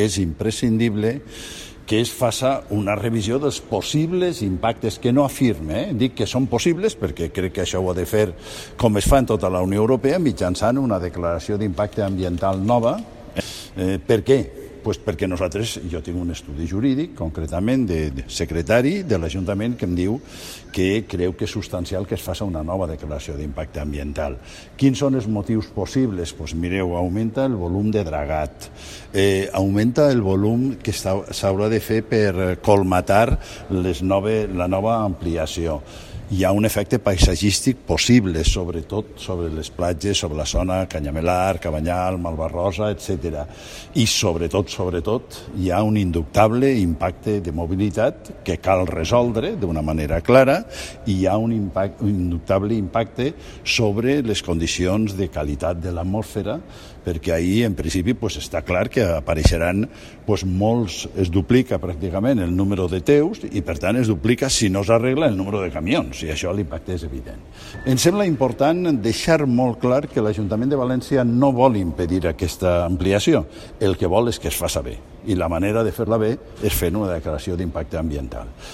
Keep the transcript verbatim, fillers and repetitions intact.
És imprescindible que es faça una revisió dels possibles impactes, que no afirme, eh? dic que són possibles perquè crec que això ho ha de fer com es fa en tota la Unió Europea, mitjançant una declaració d'impacte ambiental nova. Eh, per què? Pues perquè nosaltres, jo tinc un estudi jurídic, concretament de, de secretari de l'Ajuntament, que em diu que creu que és substancial que es faci una nova declaració d'impacte ambiental. Quins són els motius possibles? Pues mireu, augmenta el volum de dragat, eh, augmenta el volum que s'haurà de fer per colmatar les nove, la nova ampliació. Hi ha un efecte paisatgístic possible, sobretot sobre les platges, sobre la zona Canyamelar, Cabanyal, Malvarrosa, etcètera. I sobretot, sobretot, hi ha un indubtable impacte de mobilitat que cal resoldre d'una manera clara i hi ha un, impact, un indubtable impacte sobre les condicions de qualitat de l'atmosfera, perquè ahir, en principi, pues, està clar que apareixeran pues, molts, es duplica pràcticament el número de teus i, per tant, es duplica, si no s'arregla, el número de camions, i això l'impacte és evident. Em sembla important deixar molt clar que l'Ajuntament de València no vol impedir aquesta ampliació, el que vol és que es faci bé, i la manera de fer-la bé és fent una declaració d'impacte ambiental.